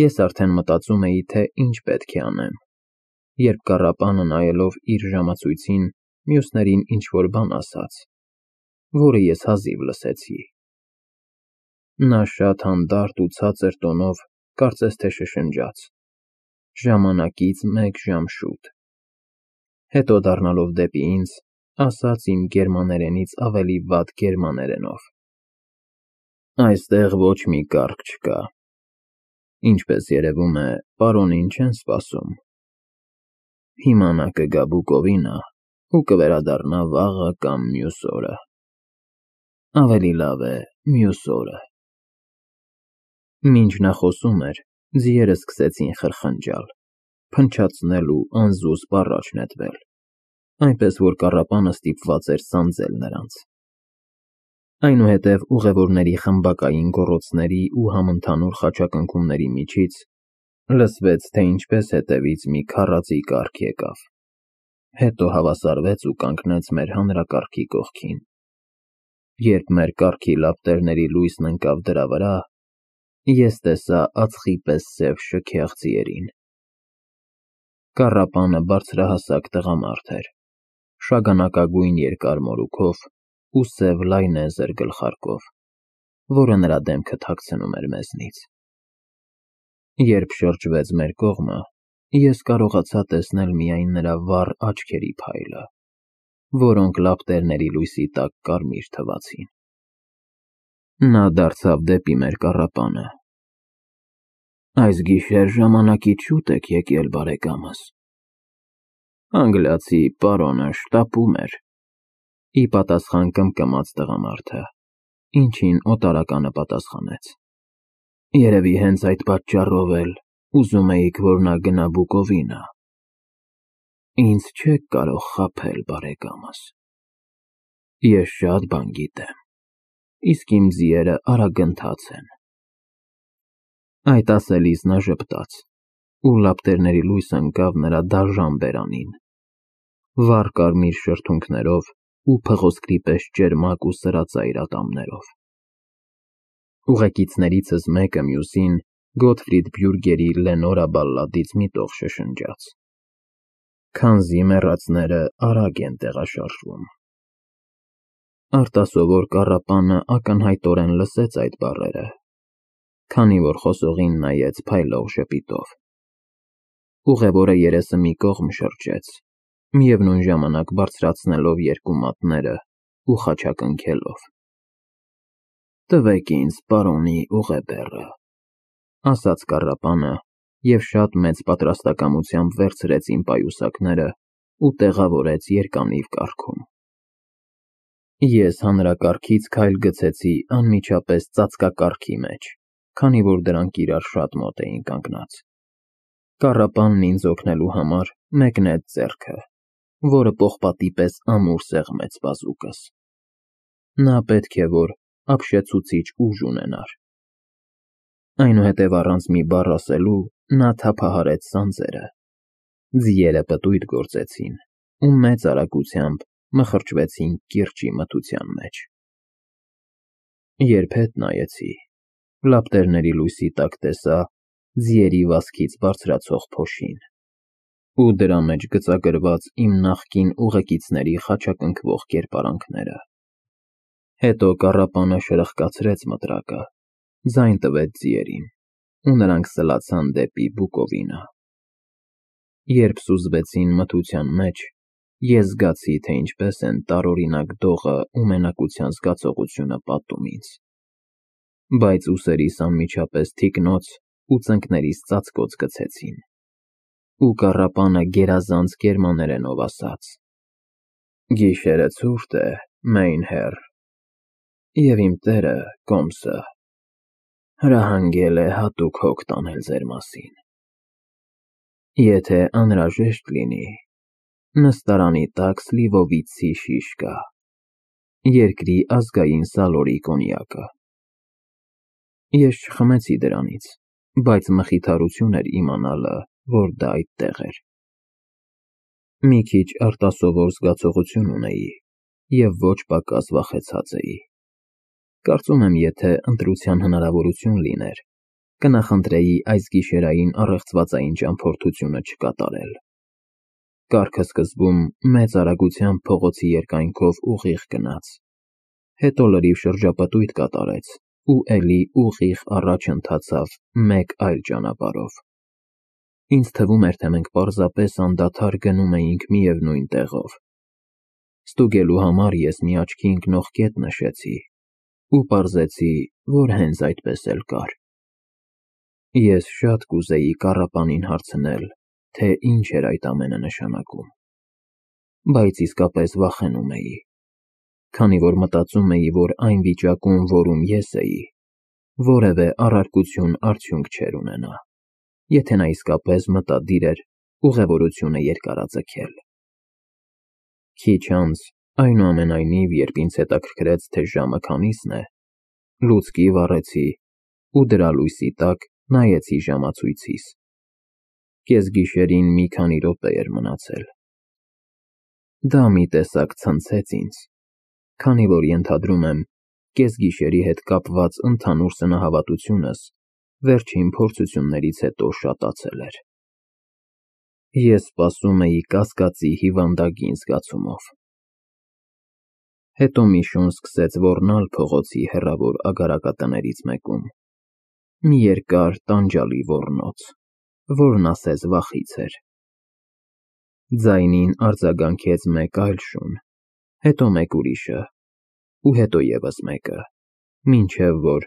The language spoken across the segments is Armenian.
Ես արդեն մտածում էի, թե ինչ պետք է անեմ, երբ կառապանը նայելով իր ժամացույցին մյուսներին ինչ-որ բան ասաց, որը ես հազիվ լսեցի։ Նա շատ հանդարտ ու ցածր տոնով կարծես թե շշնջաց. ժամանակից 1 ժամ շուտ։ Հետո դառնալով դեպի ինձ, ասաց իմ գերմաներենից ավելի վատ գերմաներենով. Այստեղ ոչ մի կառք չկա։ Ինչպես երևում է, պարոնին չեն սպասում։ Հիմա նա կգա Բուկովինա ու կվերադառնա վաղը կամ մյուս օրը։ Ավելի լավ է մյուս օրը։ Մինչ նա խոսում էր, ձիերը սկսեցին խրխնջալ, փնչացնել ու անզուսպ առաջ նետվել, այնպես որ կառապանը ստիպված էր սանձել նրանց։ Այնուհետև ուղևորների խմբակային գոռոցների ու համընդհանուր խաչակնքումների միջից լսվեց, թե ինչպես հետևից մի քառածի կառք եկավ, հետո հավասարվեց ու կանգնեց մեր հանրակառքի կողքին։ Երբ մեր կառքի լապտերների լույսն ընկավ դրա վրա, ես տեսա ածխի պես սև շքեղ ձիերին։ Կառապանը բարձրահասակ տղամարդ էր, շագանակագույն երկար մորուքով ու սև լայնեզր գլխարկով, որը նրա դեմքը թաքցնում էր մեզնից։ Երբ շրջվեց մեր կողմը, ես կարողացա տեսնել միայն նրա վառ աչքերի փայլը, որոնք լապտերների լույսի տակ կարմիր թվացին։ Նա դարձավ դեպի մեր կառապանը։ Այս գիշեր ժամանակից շուտ եք եկել, բարեկամս։ Անգլիացի պարոնը շտապում էր, ի պատասխան կմկմաց տղամարդը, ինչին օտարականը պատասխանեց. Երևի հենց այդ պատճառով էլ ուզում էիք, որ նա գնա Բուկովինա։ Ինձ չեք կարող խաբել, բարեկամս։ Ես շատ բան գիտեմ, իսկ իմ ձիերը արագընթաց են։ Այդ ասելիս նա ժպտաց, ու լապտերների լույսը ընկավ նրա դաժան բերանին, վառ կարմիր շրթունքներով ու փղոսկրի պես ճերմակ ու սրածայր ատամներով։ Ուղեկիցներիցս մեկը մյուսին Գոթֆրիդ Բյուրգերի Լենորա բալլադից մի տող շշնջաց։ Քանզի մեռածները արագ են տեղաշարժվում։ Արտասովոր կառապանը ակնհայտորեն լսեց այդ բառերը, քանի որ խոսողին նայեց փայլող ժպիտով։ Ուղևորը երեսը մի կողմ շրջեց, միևնույն ժամանակ բարձրացնելով երկու մատները ու խաչակնքելով։ Տվեք ինձ պարոնի ուղեբեռը, ասաց կառապանը և շատ մեծ պատրաստակամությամբ վերցրեց իմ պայուսակները ու տեղավորեց երկանիվ կառքում։ Ես հանրակառքից քայլ գցեցի անմիջապես ծածկակառքի մեջ, քանի որ դրանք իրար շատ մոտ էին կանգնած։ Կառապանն ինձ օգնելու համար մեկնեց ձեռքը, որը պողպատի պես ամուր սեղմեց բազուկս։ Նա պետք է որ ապշեցուցիչ ուժ ունենար։ Այնուհետև առանց մի բառ ասելու նա թափահարեց սանձերը։ Ձիերը պտույտ գործեցին ու մեծ արագությամբ մխրճվեցին կիրճի մթության մեջ։ Երբ հետ նայեցի, լապտերների լույսի տակ տեսա ձիերի վազքից բարձրացող փոշին ու դրա մեջ գծագրված իմ նախկին ուղեկիցների խաչակնքվող կերպարանքները։ Հետո կառապանը շրխկացրեց մտրակը, ձայն տվեց ձիերին, ու նրանք սլացան դեպի Բուկովինա։ Երբ սուզվեցին մթության մեջ, ես զգացի, թե ինչպես են տարօրինակ դողը ու մենակության զգացողությունը պատում ինձ։ Բայց ուսերիս անմիջապես թիկնոց ու ծնկներիս ծածկոց գցեցին, ու կառապանը գերազանց գերմաներենով ասաց. Գիշերը ցուրտ է, մեն հեր, և իմ տերը, կոմսը, հրահանգել է հատուկ հոգ տանել ձեր մասին։ Եթե անհրաժեշտ լինի, նստարանի տակ սլիվովիցի շիշ կա, երկրի ազգային սալորի կոնյակը։ Ես չխմեցի դրանից, բայց մխիթարություն էր իմանալը, որ դա այդտեղ էր։ Մի քիչ արտասովոր զգացողություն ունեի և ոչ պակաս վախեցած էի։ Կարծում եմ, եթե ընտրության հնարավորություն լիներ, կնախընտրեի այս գիշերային առեղծվածային ճամփորդությունը չկատարել։ Կառքը սկզբում մեծ արագությամբ փողոցի երկայնքով ուղիղ գնաց, հետո լրիվ շրջապտույտ կատարեց ու էլի ուղիղ առաջ ընթացավ մեկ այլ ճանապարհով։ Ինձ թվում էր, թե մենք պարզապես անդադար գնում էինք միևնույն տեղով։ Ստուգելու համար ես մի աչքի ընկնող կետ նշեցի ու պարզեցի, որ հենց այդպես էլ կար։ Ես շատ կուզեի կառապանին հարցնել, թե ինչ էր այդ ամենը նշանակում, բայց իսկապես վախենում էի, քանի որ մտածում էի, որ այն վիճակում, որում ես էի, որևէ առարկություն արդյունք չէր ունենա, եթե նա իսկապես մտադիր էր ուղևորությունը երկարաձգել։ Քիչ անց, այնուամենայնիվ, երբ ինձ հետաքրքրեց, թե ժամը քանիսն է, լուցկի վառեցի ու դրա լույսի տակ նայեցի ժամացույցիս։ Կեսգիշերին մի քանի րոպե էր մնացել։ Դա մի տեսակ ցնցեց ինձ, քանի որ ենթադրում եմ, կեսգիշերի հետ կապված ընդհանուր սնահավատությունս վերջին փորձություններից հետո շատացել էր։ Ես սպասում էի կասկածի հիվանդագին զգացումով։ Հետո մի շուն սկսեց ոռնալ փողոցի հեռավոր ագարակատներից մեկում, մի երկար տանջալի ոռնոց, որն ասես վախից էր։ Ձայնին արձագանքեց մեկ այլ շուն, հետո մեկ ուրիշը, ու հետո ևս մեկը, մինչև որ,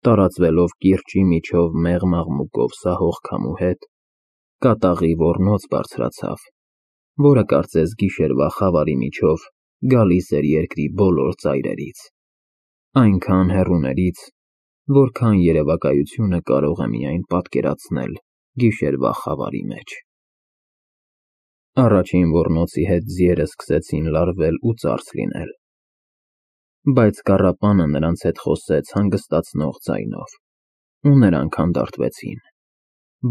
տարածվելով կիրճի միջով մեղմ աղմուկով սահող քամու հետ, կատաղի ոռնոց բարձրացավ, որը կարծես գիշերվա խավարի միջով գալիս էր երկրի բոլոր ծայրերից, այնքան հեռուներից, որքան երևակայությունը կարող է միայն պատկերացնել գիշերվա խավարի մեջ։ Առաջին ոռնոցի հետ ձիերը սկսեցին լարվել ու ծարս լինել, բայց կառապանը նրանց հետ խոսեց հանգստացնող ձայնով, ու նրանք հանդարտվեցին,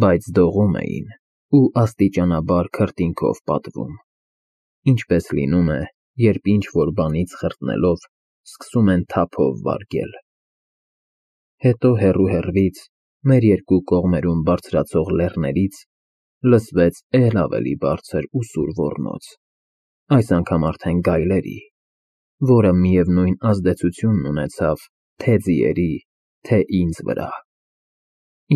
բայց դողում էին ու աստիճանաբար քրտինքով պատվում, ինչպես լինում է, երբ ինչ-որ բանից խրտնելով սկսում են թափով վարգել։ Հետո հեռու-հեռվից, մեր երկու կողմերում բարձրացող լեռներից լսվեց էլ ավելի բարձր ու սուր ոռնոց, այս անգամ արդեն գայլերի, որը միևնույն ազդեցությունն ունեցավ թե ձիերի, թե ինձ վրա։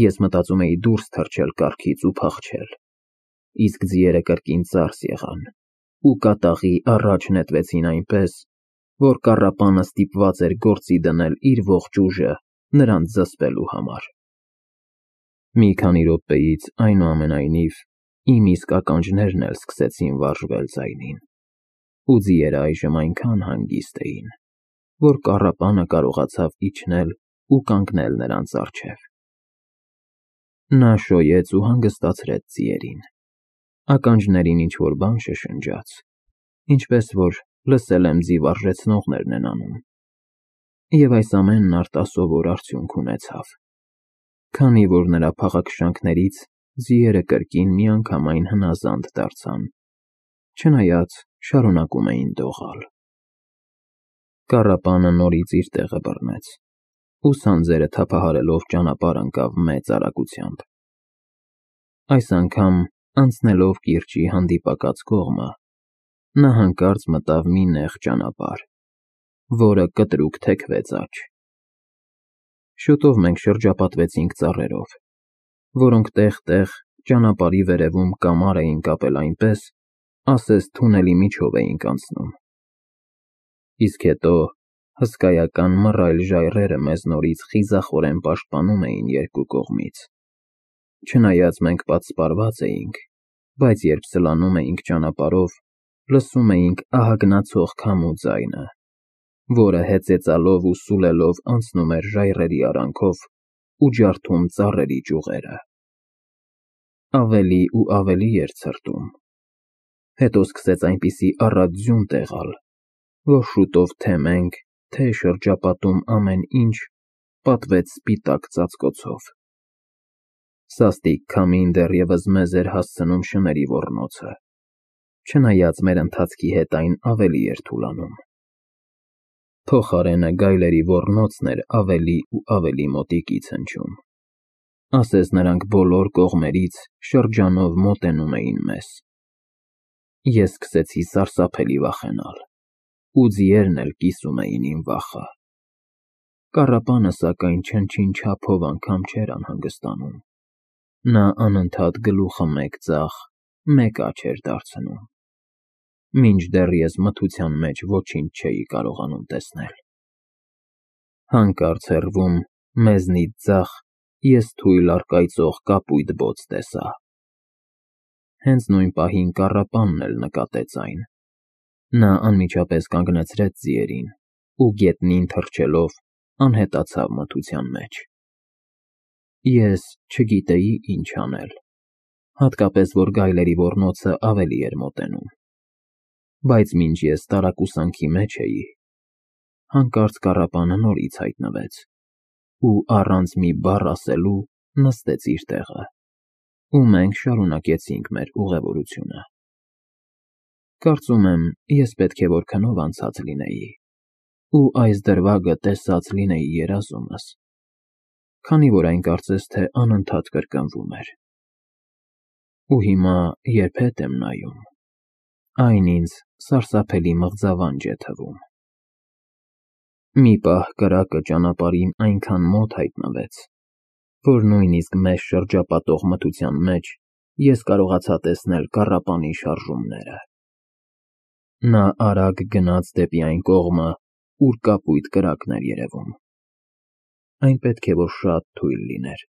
Ես մտածում էի դուրս թռչել կառքից ու փախչել, իսկ ձիերը կրկին ծարս եղան ու կատաղի առաջ նետվեցին այնպես, որ կառապանը ստիպված էր գործի դնել իր ողջ ուժը նրանց զսպելու համար։ Մի քանի րոպեից, այնուամենայնիվ, իմ իսկ ականջներն էլ սկսեցին վարժվել ձայնին, ու ձիերը այժմ այնքան հանգիստ էին, որ կառապանը կարողացավ իջնել ու կանգնել նրանց առջև։ Նա շոյեց ու հանգստացրեց ձիերին, ականջներին ինչ-որ բան շշնջաց, ինչպես որ լսել եմ ձի վարժեցնողներն են անում, և այս ամենն արտասովոր արդյունք ունեցավ, քանի որ նրա փաղաքշանքներից ձիերը կրկին միանգամայն հնազանդ դարձան, չնայած շարունակում էին դողալ։ Կառապանը նորից իր տեղը բռնեց ու սանձերը թափահարելով ճանապարհ ընկավ մեծ արագությամբ։ Այս անգամ, անցնելով կիրճի հանդիպակաց կողմը, նա հանկարծ մտավ մի նեղ ճանապարհ, որը կտրուկ թեքվեց աջ։ Շուտով մենք շրջապատվեցինք ծառերով, որոնք տեղ-տեղ ճանապարհի վերևում կամար էին կապել այնպես, ասես թունելի միջով էինք անցնում։ Իսկ հետո հսկայական մռայլ ժայռերը մեզ նորից խիզախորեն պաշտպանում էին երկու կողմից։ Չնայած մենք պատսպարված էինք, բայց երբ սլանում էինք ճանապարհով, լսում էինք ահագնացող քամու ձայնը, որը հեծեծալով ու սուլելով անցնում էր ժայռերի արանքով ու ջարդում ծառերի ճյուղերը։ Ավելի ու ավելի էր ցրտում։ Հետո սկսեց այնպիսի առատ ձյուն տեղալ, որ շուտով թե մենք, թե շրջապատում ամեն ինչ պատվեց սպիտակ ծածկոցով։ Սաստիկ քամին դեռևս մեզ էր հասցնում շների ոռնոցը, չնայած մեր ընթացքի հետ այն ավելի էր թուլանում։ Փոխարենը գայլերի ոռնոցն էր ավելի ու ավելի մոտիկից հնչում, ասես նրանք բոլոր կողմերից շրջանով մոտենում էին մեզ։ Ես սկսեցի սարսափելի վախենալ, ու ձիերն էլ կիսում էին իմ վախը։ Կառապանը սակայն չնչին չափով անգամ չէր անհանգստանում։ Նա անընդհատ գլուխը մեկ ձախ, մեկ աջ էր դարձնում, մինչդեռ ես մթության մեջ ոչինչ չէի կարողանում տեսնել։ Հանկարծ հեռվում, մեզնից ձախ, ես թույլ առկայծող կապույտ բոց տեսա։ Հենց նույն պահին կառապանն էլ նկատեց այն։ Նա անմիջապես կանգնեցրեց ձիերին ու գետնին թռչելով անհետացավ մթության մեջ։ Ես չգիտեի ինչ անել, հատկապես որ գայլերի ոռնոցը ավելի էր մոտենում։ Բայց մինչ ես տարակուսանքի մեջ էի, հանկարծ կառապանը նորից հայտնվեց ու առանց մի բառ ասելու նստեց իր տեղը, ու մենք շարունակեցինք մեր ուղևորությունը։ Կարծում եմ, ես պետք է որ քնով անցած լինեի ու այս դրվագը տեսած լինեի երազումս, քանի որ այն կարծես թե անընդհատ կրկնվում էր։ Ու հիմա, երբ հետ եմ նայում, այն ինձ սարսափելի մղձավանջ է թվում։ Մի պահ կրակը ճանապարհին այնքան մոտ հայտնվեց, որ նույնիսկ մեզ շրջապատող մթության մեջ ես կարողացա տեսնել կառապանի շարժումները։ Նա արագ գնաց դեպի այն կողմը, ուր կապույտ կրակն էր երևում։ Այն պետք է որ շատ թույլ լիներ,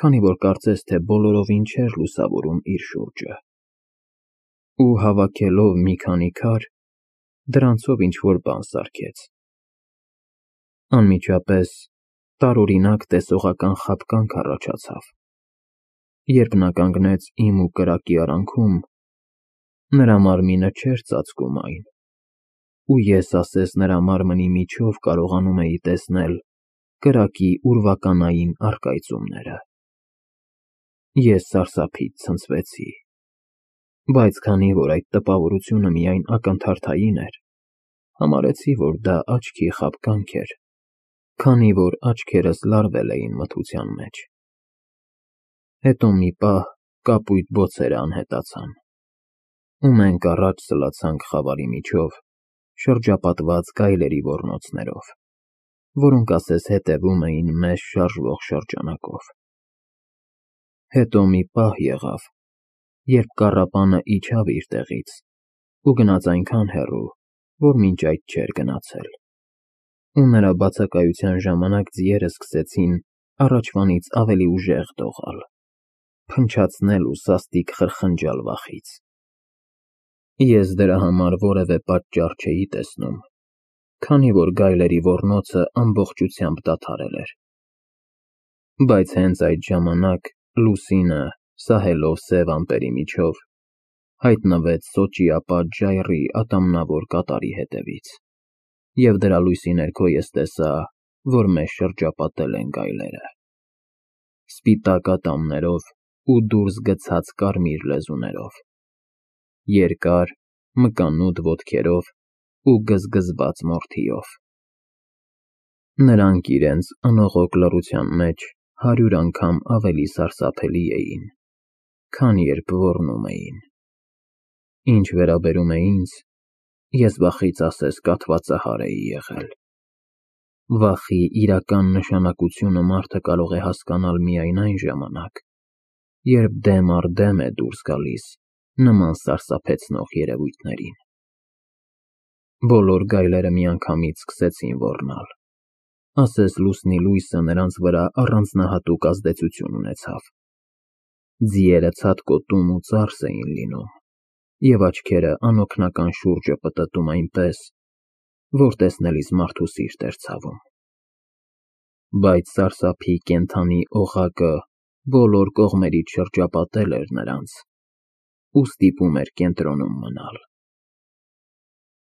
քանի որ կարծես թե բոլորովին չէր լուսավորում իր շուրջը։ Ու հավաքելով մի քանի քար, դրանցով ինչ-որ բան սարքեց։ Անմիջապես տարօրինակ տեսողական խաբկանք առաջացավ։ Երբ նա կանգնեց իմ ու կրակի արանքում, նրա մարմինը չէր ծածկում այն, ու ես ասես նրա մարմնի միջով կարողանում էի տեսնել կրակի ուրվականային առկայծումները։ Ես սարսափից ցնցվեցի, բայց քանի որ այդ տպավորությունը միայն ակնթարթային էր, համարեցի, որ դա աչքի խաբկանք էր, քանի որ աչքերս լարվել էին մթության մեջ։ Հետո մի պահ կապույտ բոցերը անհետացան, ու մենք առաջ սլացանք խավարի միջով, շրջապատված գայլերի ոռնոցներով, որոնք ասես հետևում էին մեզ շարժվող շրջանակով։ Հետո մի պահ եղավ, երբ կառապանը իջավ իր տեղից ու գնաց այնքան հեռու, որ մինչ այդ չէր գնացել, ու նրա բացակայության ժամանակ ձիերը սկսեցին առաջվանից ավելի ուժեղ դողալ, փնչացնել ու սաստիկ խրխնջալ վախից։ Ես դրա համար որևէ պատճառ չէի տեսնում, քանի որ գայլերի ոռնոցը ամբողջությամբ դադարել էր։ Բայց հենց այդ ժամանակ լուսինը, սահելով սև ամպերի միջով, հայտնվեց Սոճի ապա ժայռի ատամնավոր կատարի հետևից, և դրա լույսի ներքո ես տեսա, որ մեզ շրջապատել են գայլերը։ Սպիտակ ատամներով ու դուրս գցած կարմիր լեզուներով, երկար, մկանուտ ոտքերով ու գզգզված մորթիով։ Նրանք իրենց անողոք լռության մեջ 100 անգամ ավելի սարսափելի էին, քան երբ ոռնում էին։ Ինչ վերաբերում է ինձ, ես վախից ասես կաթվածահար էի եղել։ Վախի իրական նշանակությունը մարդը կարող է հասկանալ միայն այն ժամանակ, երբ դեմ առ դեմ է դուրս գալիս նման սարսափեցնող երևույթներին։ Բոլոր գայլերը միանգամից սկսեցին ոռնալ, ասես լուսնի լույսը նրանց վրա առանձնահատուկ ազդեցություն ունեցավ։ Ձիերը ցատկոտում ու ծարս էին լինում, և աչքերը անօգնական շուրջը պտտում այնպես, որ տեսնելիս մարդու սիրտ էր ցավում։ Բայց սարսափի կենդանի օղակը բոլոր կողմերից շրջապատել էր նրանց ու ստիպում էր կենտրոնում մնալ։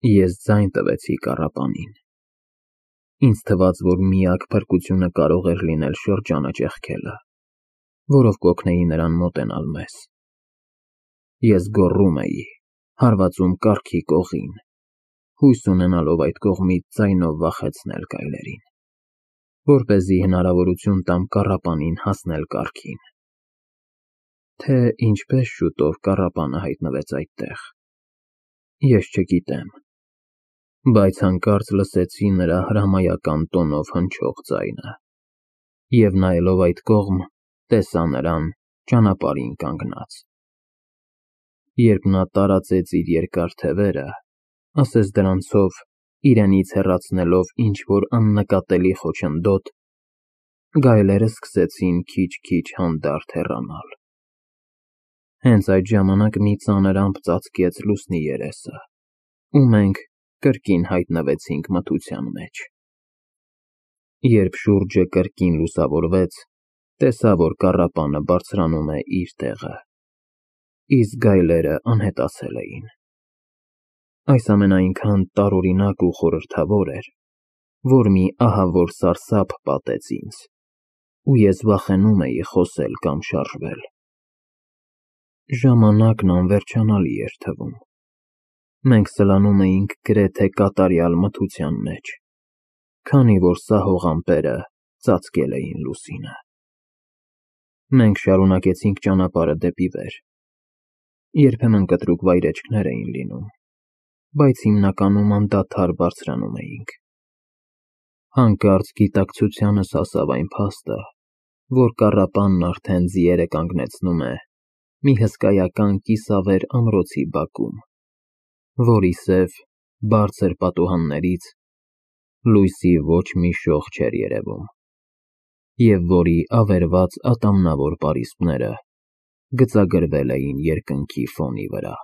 Ես ձայն տվեցի կառապանին։ Ինձ թվաց, որ միակ փրկությունը կարող էր լինել շրջանը ճեղքելը, որով կօգնեի նրան մոտենալ մեզ։ Ես գոռում էի, հարվածում կառքի կողին, հույս ունենալով այդ կողմից ձայնով վախեցնել գայլերին։ որպեսզի հնարավորություն տամ կառապանին հասնել կառքին։ Թե ինչպես շուտով կառապանը հայտնվեց այդտեղ, ես չգիտեմ, բայց հանկարծ լսեցի նրա հրամայական տոնով հնչող ձայնը, և նայելով այդ կողմ, տեսա նրան ճանապարհին կանգնած։ Երբ նա տարածեց իր երկար թևերը, ասես դրանցով իրենից հեռացնելով ինչ-որ աննկատելի խոչընդոտ, գայլերը սկսեցին քիչ-քիչ հանդարտ հեռանալ։ Հենց այդ ժամանակ մի ծանր ամպ ծածկեց լուսնի երեսը, ու մենք կրկին հայտնվեցինք մթության մեջ։ Երբ շուրջը կրկին լուսավորվեց, տեսա, որ կառապանը բարձրանում է իր տեղը, իսկ գայլերը անհետացել էին։ Այս ամենը այնքան տարօրինակ ու խորհրդավոր էր, որ մի ահավոր սարսափ պատեց ինձ, ու ես վախենում էի խոսել կամ շարժվել։ Ժամանակն անվերջանալի էր թվում։ Մենք սլանում էինք գրեթե կատարյալ մթության մեջ, քանի որ սահող ամպերը ծածկել էին լուսինը։ Մենք շարունակեցինք ճանապարհը դեպի վեր։ Երբեմն կտրուկ վայրէջքներ էին լինում, բայց հիմնականում անդադար բարձրանում էինք։ Հանկարծ գիտակցությանս հասավ այն փաստը, որ կառապանն արդեն ձիերը կանգնեցնում է մի հսկայական կիսավեր ամրոցի բակում, որի սև, բարձր պատուհաններից լույսի ոչ մի շող չէր երևում, և որի ավերված ատամնավոր պարիսպները գծագրվել էին երկնքի ֆոնի վրա։